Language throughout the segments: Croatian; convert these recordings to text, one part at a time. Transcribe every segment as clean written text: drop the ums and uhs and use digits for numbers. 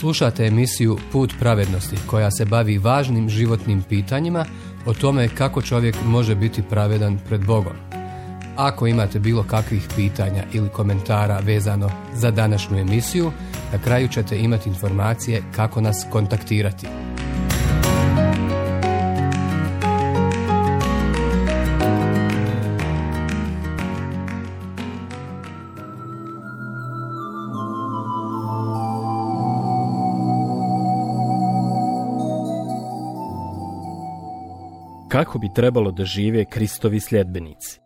Slušate emisiju Put pravednosti koja se bavi važnim životnim pitanjima o tome kako čovjek može biti pravedan pred Bogom. Ako imate bilo kakvih pitanja ili komentara vezano za današnju emisiju, na kraju ćete imati informacije kako nas kontaktirati. Kako bi trebalo da žive Kristovi sljedbenici?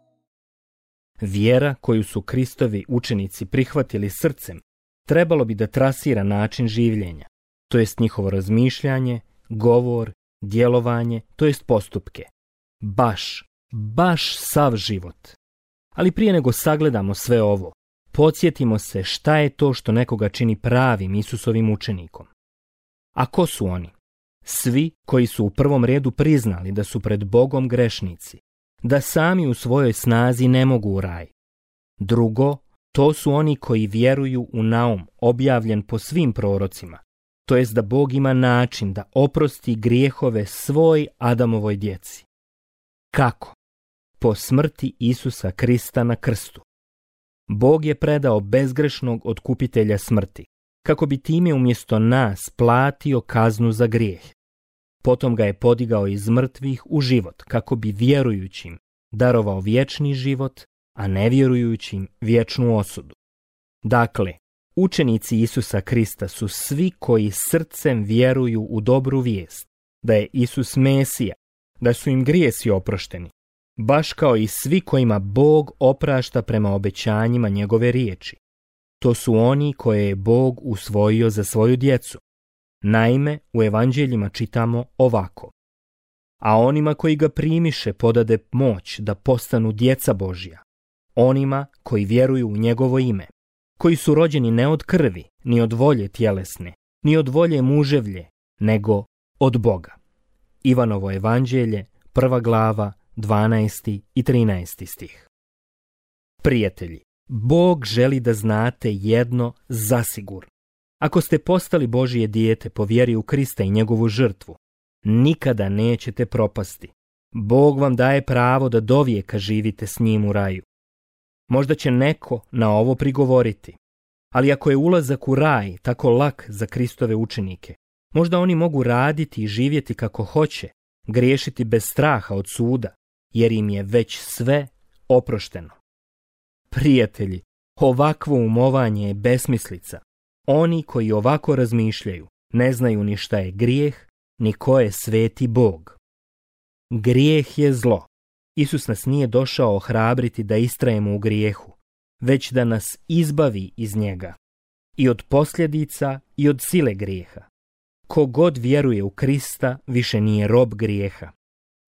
Vjera koju su Kristovi učenici prihvatili srcem trebalo bi da trasira način življenja, to jest njihovo razmišljanje, govor, djelovanje, to jest postupke. Baš sav život. Ali prije nego sagledamo sve ovo, podsjetimo se šta je to što nekoga čini pravim Isusovim učenikom. A ko su oni? Svi koji su u prvom redu priznali da su pred Bogom grešnici, da sami u svojoj snazi ne mogu u raj. Drugo, to su oni koji vjeruju u naum objavljen po svim prorocima, to jest da Bog ima način da oprosti grijehove svoj Adamovoj djeci. Kako? Po smrti Isusa Krista na krstu. Bog je predao bezgrešnog otkupitelja smrti, kako bi time umjesto nas platio kaznu za grijeh. Potom ga je podigao iz mrtvih u život, kako bi vjerujućim darovao vječni život, a nevjerujućim vječnu osudu. Dakle, učenici Isusa Krista su svi koji srcem vjeruju u dobru vijest, da je Isus Mesija, da su im grijesi oprošteni, baš kao i svi kojima Bog oprašta prema obećanjima njegove riječi. To su oni koje je Bog usvojio za svoju djecu. Naime, u evanđeljima čitamo ovako: a onima koji ga primiše podade moć da postanu djeca Božja, onima koji vjeruju u njegovo ime, koji su rođeni ne od krvi, ni od volje tjelesne, ni od volje muževlje, nego od Boga. Ivanovo evanđelje, 1. glava, 12. i 13. stih. Prijatelji, Bog želi da znate jedno zasigurno. Ako ste postali Božje dijete po vjeri u Krista i njegovu žrtvu, nikada nećete propasti. Bog vam daje pravo da dovijeka živite s njim u raju. Možda će neko na ovo prigovoriti, ali ako je ulazak u raj tako lak za Kristove učenike, možda oni mogu raditi i živjeti kako hoće, griješiti bez straha od suda, jer im je već sve oprošteno. Prijatelji, ovakvo umovanje je besmislica. Oni koji ovako razmišljaju ne znaju ni šta je grijeh, ni ko je sveti Bog. Grijeh je zlo. Isus nas nije došao ohrabriti da istrajemo u grijehu, već da nas izbavi iz njega, i od posljedica i od sile grijeha. Kogod vjeruje u Krista više nije rob grijeha.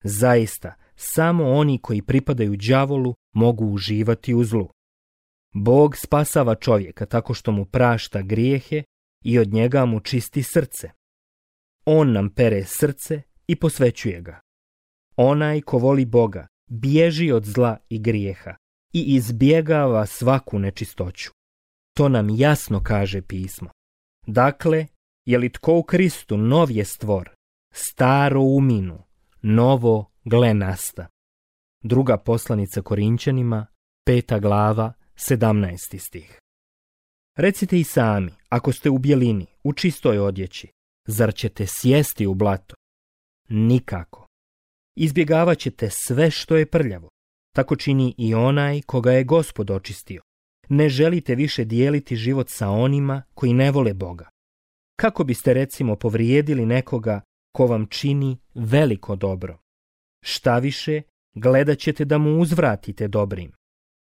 Zaista, samo oni koji pripadaju đavolu mogu uživati u zlu. Bog spasava čovjeka tako što mu prašta grijehe i od njega mu čisti srce. On nam pere srce i posvećuje ga. Onaj ko voli Boga bježi od zla i grijeha i izbjegava svaku nečistoću. To nam jasno kaže pismo. Dakle, je li tko u Kristu nov je stvor, staro uminu, novo gle nasta. Druga poslanica Korinćanima, 5. glava, 17. stih. Recite i sami, ako ste u bjelini, u čistoj odjeći, zar ćete sjesti u blato? Nikako. Izbjegavat ćete sve što je prljavo. Tako čini i onaj koga je Gospod očistio. Ne želite više dijeliti život sa onima koji ne vole Boga. Kako biste recimo povrijedili nekoga ko vam čini veliko dobro? Štaviše, gledat ćete da mu uzvratite dobrim.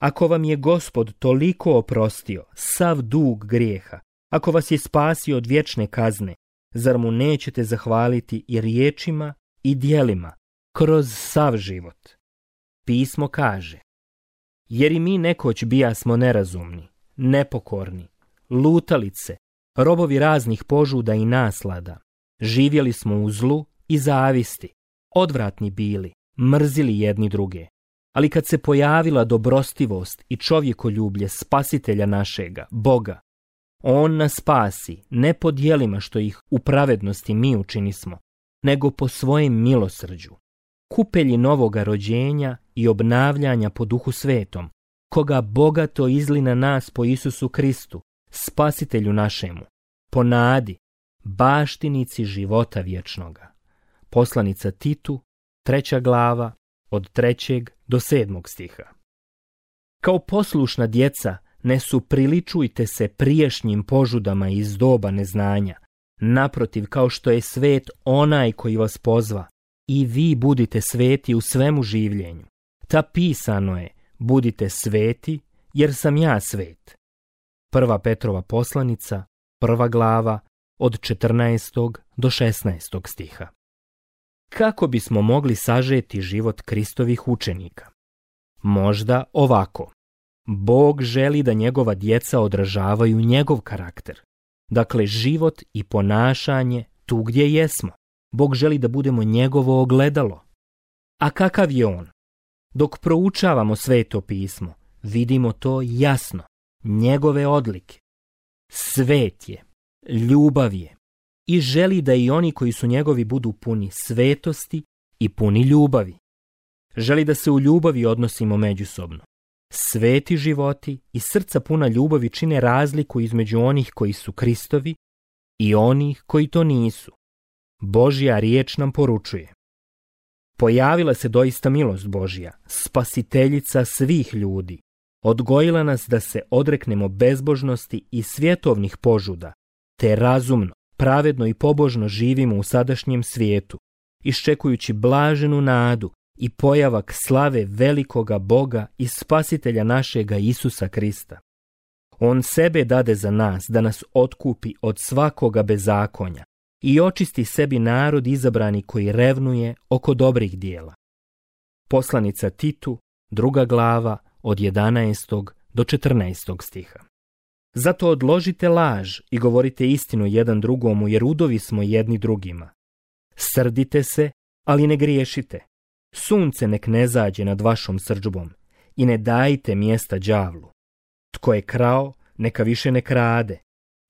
Ako vam je Gospod toliko oprostio sav dug grijeha, ako vas je spasio od vječne kazne, zar mu nećete zahvaliti i riječima i djelima kroz sav život? Pismo kaže: jer i mi nekoć bijasmo nerazumni, nepokorni, lutalice, robovi raznih požuda i naslada. Živjeli smo u zlu i zavisti, odvratni bili, mrzili jedni druge. Ali kad se pojavila dobrostivost i čovjekoljublje Spasitelja našega, Boga, On nas spasi, ne po djelima što ih u pravednosti mi učinismo, nego po svojem milosrđu, kupelji novoga rođenja i obnavljanja po Duhu Svetom, koga bogato izli na nas po Isusu Kristu, spasitelju našemu, po nadi, baštinici života vječnoga. Poslanica Titu, 3. glava, od 3. do 7. stiha. Kao poslušna djeca, ne supriličujte se prijašnjim požudama iz doba neznanja. Naprotiv, kao što je svet onaj koji vas pozva, i vi budite sveti u svemu življenju. Ta pisano je, budite sveti, jer sam ja svet. 1. Petrova poslanica, 1. glava, od 14. do 16. stiha. Kako bismo mogli sažeti život Kristovih učenika? Možda ovako. Bog želi da njegova djeca odražavaju njegov karakter. Dakle, život i ponašanje tu gdje jesmo. Bog želi da budemo njegovo ogledalo. A kakav je on? Dok proučavamo Sveto pismo, vidimo to jasno. Njegove odlike. Svet je, ljubav je i želi da i oni koji su njegovi budu puni svetosti i puni ljubavi. Želi da se u ljubavi odnosimo međusobno. Sveti životi i srca puna ljubavi čine razliku između onih koji su Kristovi i onih koji to nisu. Božja riječ nam poručuje. Pojavila se doista milost Božja, spasiteljica svih ljudi. Odgojila nas da se odreknemo bezbožnosti i svjetovnih požuda, te razumno, pravedno i pobožno živimo u sadašnjem svijetu, iščekujući blaženu nadu i pojavak slave velikoga Boga i spasitelja našega Isusa Krista. On sebe dade za nas da nas otkupi od svakoga bezakonja i očisti sebi narod izabrani koji revnuje oko dobrih dijela. Poslanica Titu, 2. glava, od 11. do 14. stiha. Zato odložite laž i govorite istinu jedan drugomu, jer udovi smo jedni drugima. Srdite se, ali ne griješite. Sunce nek ne zađe nad vašom srdžbom i ne dajte mjesta đavlu. Tko je krao, neka više ne krade,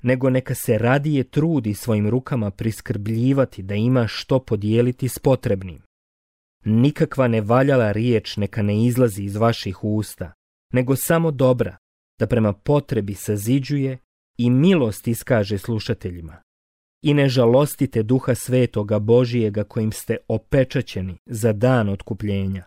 nego neka se radije trudi svojim rukama priskrbljivati da ima što podijeliti s potrebnim. Nikakva nevaljala riječ neka ne izlazi iz vaših usta, nego samo dobra, da prema potrebi saziđuje i milost iskaže slušateljima. I ne žalostite Duha Svetoga Božijega kojim ste opečaćeni za dan otkupljenja.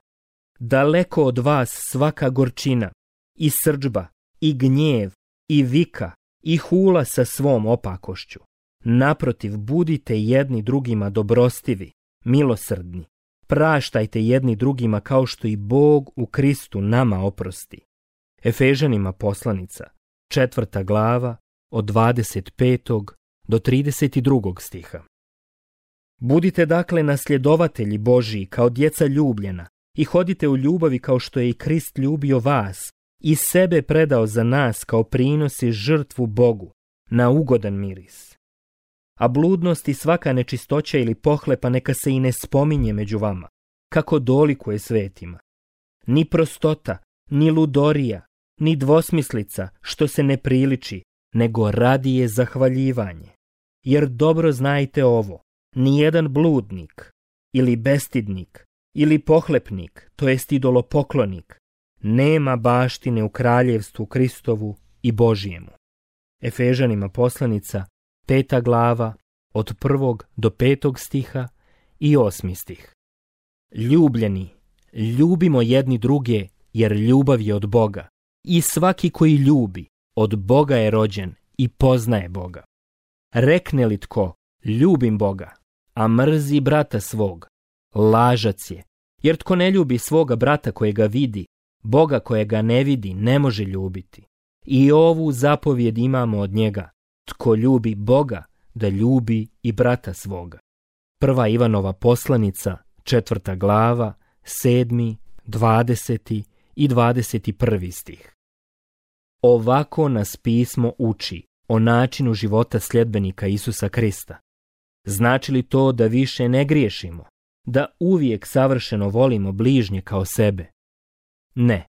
Daleko od vas svaka gorčina, i srdžba, i gnjev, i vika, i hula sa svom opakošću. Naprotiv, budite jedni drugima dobrostivi, milosrdni. Praštajte jedni drugima kao što i Bog u Kristu nama oprosti. Efežanima poslanica, 4. glava, od 25. do 32. stiha. Budite dakle nasljedovatelji Božiji kao djeca ljubljena i hodite u ljubavi kao što je i Krist ljubio vas i sebe predao za nas kao prinos i žrtvu Bogu na ugodan miris. A bludnost i svaka nečistoća ili pohlepa neka se i ne spominje među vama, kako dolikuje svetima. Ni prostota, ni ludorija, ni dvosmislica što se ne priliči, nego radije zahvaljivanje. Jer dobro znajte ovo, nijedan bludnik, ili bestidnik, ili pohlepnik, to jest idolopoklonik, nema baštine u kraljevstvu Kristovu i Božijemu. Efežanima poslanica, 5. glava, od 1. do 5. stiha i 8. stih. Ljubljeni, ljubimo jedni druge, jer ljubav je od Boga. I svaki koji ljubi, od Boga je rođen i poznaje Boga. Rekne li tko, ljubim Boga, a mrzi brata svog, lažac je, jer tko ne ljubi svoga brata kojega vidi, Boga kojega ne vidi ne može ljubiti. I ovu zapovjed imamo od njega, tko ljubi Boga, da ljubi i brata svoga. 1. Ivanova poslanica, 4. glava, 7., 20. i 21. stih. Ovako nas pismo uči o načinu života sljedbenika Isusa Krista. Znači li to da više ne griješimo, da uvijek savršeno volimo bližnje kao sebe? Ne,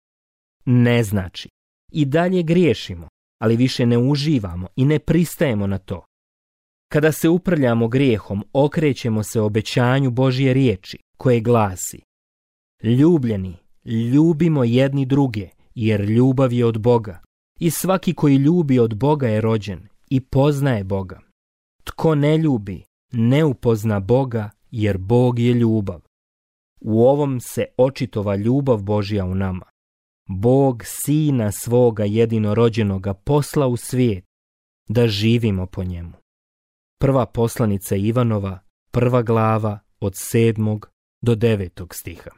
ne znači. I dalje griješimo, ali više ne uživamo i ne pristajemo na to. Kada se uprljamo grijehom, okrećemo se obećanju Božje riječi, koje glasi: Ljubljeni, ljubimo jedni druge, jer ljubav je od Boga. I svaki koji ljubi od Boga je rođen i poznaje Boga. Tko ne ljubi, ne upozna Boga, jer Bog je ljubav. U ovom se očitova ljubav Božja u nama. Bog Sina svoga jedinorođenoga posla u svijet, da živimo po njemu. Prva poslanica Ivanova, 1. glava, od 7. do 9. stiha.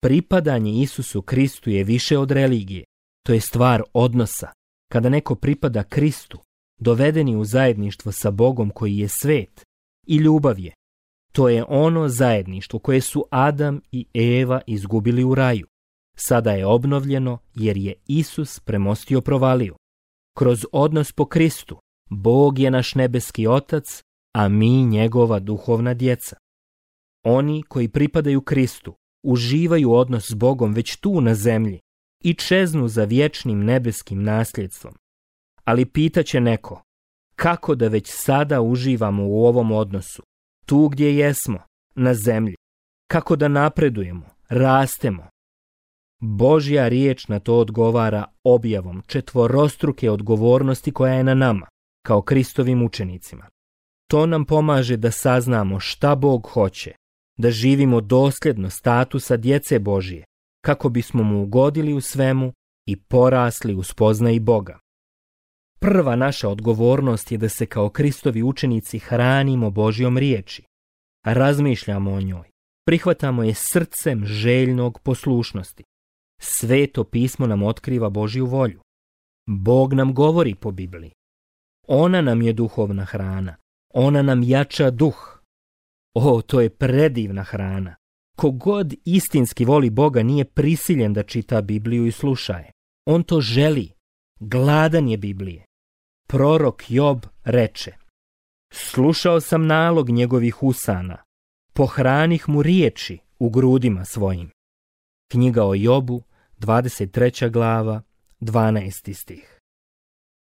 Pripadanje Isusu Kristu je više od religije. To je stvar odnosa. Kada neko pripada Kristu, dovedeni u zajedništvo sa Bogom koji je svet, i ljubav je. To je ono zajedništvo koje su Adam i Eva izgubili u raju. Sada je obnovljeno jer je Isus premostio provaliju. Kroz odnos po Kristu, Bog je naš nebeski Otac, a mi njegova duhovna djeca. Oni koji pripadaju Kristu uživaju odnos s Bogom već tu na zemlji i čeznu za vječnim nebeskim nasljedstvom. Ali pitaće neko, kako da već sada uživamo u ovom odnosu, tu gdje jesmo, na zemlji, kako da napredujemo, rastemo? Božja riječ na to odgovara objavom četvorostruke odgovornosti koja je na nama, kao Kristovim učenicima. To nam pomaže da saznamo šta Bog hoće, da živimo dosljedno statusa djece Božje, kako bismo mu ugodili u svemu i porasli u spoznaji Boga. Prva naša odgovornost je da se kao Kristovi učenici hranimo Božjom riječi, razmišljamo o njoj, prihvatamo je srcem željnog poslušnosti. Sveto pismo nam otkriva Božju volju. Bog nam govori po Bibliji. Ona nam je duhovna hrana, ona nam jača duh. O, to je predivna hrana. Kogod istinski voli Boga nije prisiljen da čita Bibliju i sluša je. On to želi. Gladan je Biblije. Prorok Job reče: slušao sam nalog njegovih usana, pohranih mu riječi u grudima svojim. Knjiga o Jobu, 23. glava, 12. stih.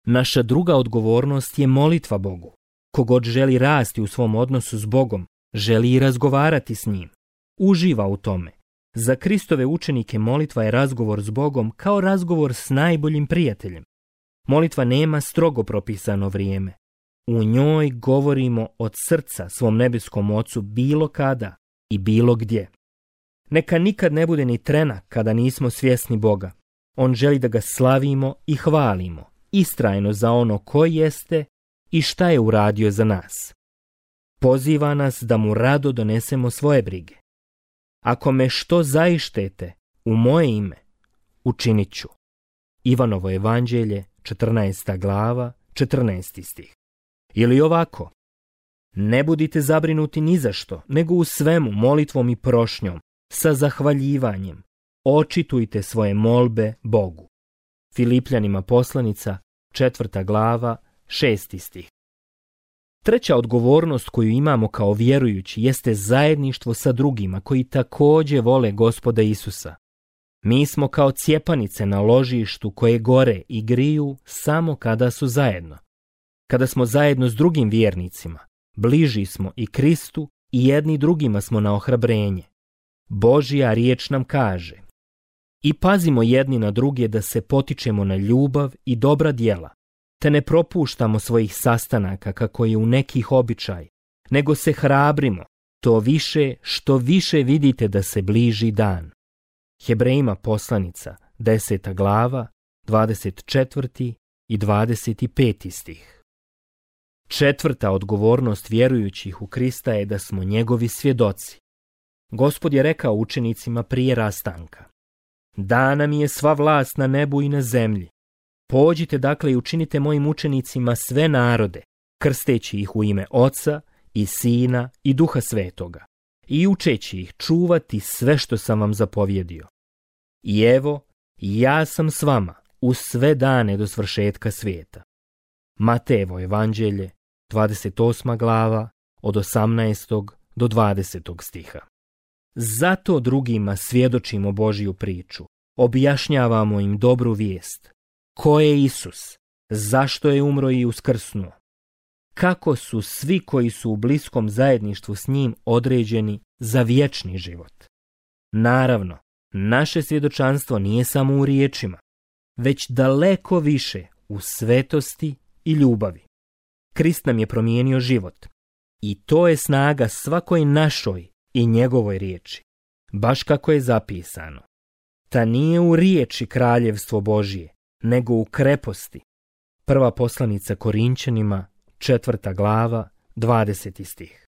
Naša druga odgovornost je molitva Bogu. Kogod želi rasti u svom odnosu s Bogom, želi i razgovarati s njim. Uživa u tome. Za Kristove učenike molitva je razgovor s Bogom kao razgovor s najboljim prijateljem. Molitva nema strogo propisano vrijeme. U njoj govorimo od srca svom nebeskom Ocu bilo kada i bilo gdje. Neka nikad ne bude ni trena kada nismo svjesni Boga. On želi da ga slavimo i hvalimo, istrajno za ono ko jeste i šta je uradio za nas. Poziva nas da mu rado donesemo svoje brige. Ako me što zaištete u moje ime, učinit ću. Ivanovo evanđelje, 14. glava, 14. stih. Ili ovako: ne budite zabrinuti ni za što, nego u svemu molitvom i prošnjom, sa zahvaljivanjem, očitujte svoje molbe Bogu. Filipljanima poslanica, 4. glava, 6. stih. Treća odgovornost koju imamo kao vjerujući jeste zajedništvo sa drugima koji također vole Gospoda Isusa. Mi smo kao cjepanice na ložištu koje gore i griju samo kada su zajedno. Kada smo zajedno s drugim vjernicima, bliži smo i Kristu i jedni drugima smo na ohrabrenje. Božja riječ nam kaže: i pazimo jedni na druge da se potičemo na ljubav i dobra djela, te ne propuštamo svojih sastanaka kako je u nekih običaj, nego se hrabrimo, to više što više vidite da se bliži dan. Hebrejima poslanica, 10. glava, 24. i 25. stih. Četvrta odgovornost vjerujućih u Krista je da smo njegovi svjedoci. Gospod je rekao učenicima prije rastanka: dana mi je sva vlast na nebu i na zemlji. Pođite dakle i učinite mojim učenicima sve narode, krsteći ih u ime Oca i Sina i Duha Svetoga, i učeći ih čuvati sve što sam vam zapovjedio. I evo, ja sam s vama u sve dane do svršetka svijeta. Matejevo evanđelje, 28. glava, od 18. do 20. stiha. Zato drugima svjedočimo Božju priču, objašnjavamo im dobru vijest. Ko je Isus? Zašto je umro i uskrsnuo? Kako su svi koji su u bliskom zajedništvu s njim određeni za vječni život? Naravno, naše svjedočanstvo nije samo u riječima, već daleko više u svetosti i ljubavi. Krist nam je promijenio život i to je snaga svakoj našoj i njegovoj riječi, baš kako je zapisano. Ta nije u riječi kraljevstvo Božije, nego u kreposti. Prva poslanica Korinćanima, 4. glava, 20. stih.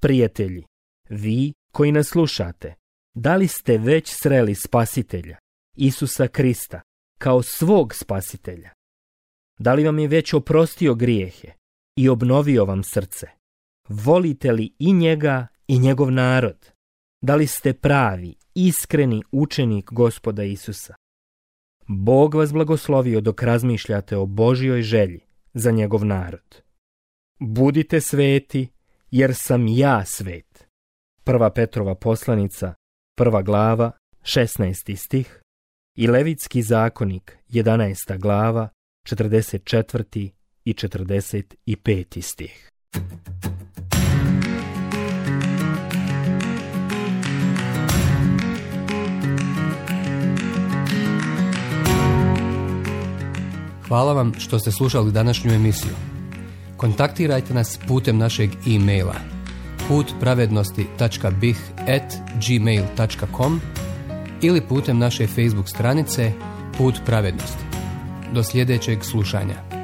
Prijatelji, vi koji nas slušate, da li ste već sreli Spasitelja, Isusa Krista, kao svog Spasitelja? Da li vam je već oprostio grijehe i obnovio vam srce? Volite li i njega i njegov narod? Da li ste pravi, iskreni učenik Gospoda Isusa? Bog vas blagoslovio dok razmišljate o Božjoj želji za njegov narod. Budite sveti, jer sam ja svet. 1. Petrova poslanica, 1. glava, 16. stih i Levitski zakonik, 11. glava, 44. i 45. stih. Hvala vam što ste slušali današnju emisiju. Kontaktirajte nas putem našeg e-maila putpravednosti.bih@gmail.com ili putem naše Facebook stranice Put pravednosti. Do sljedećeg slušanja.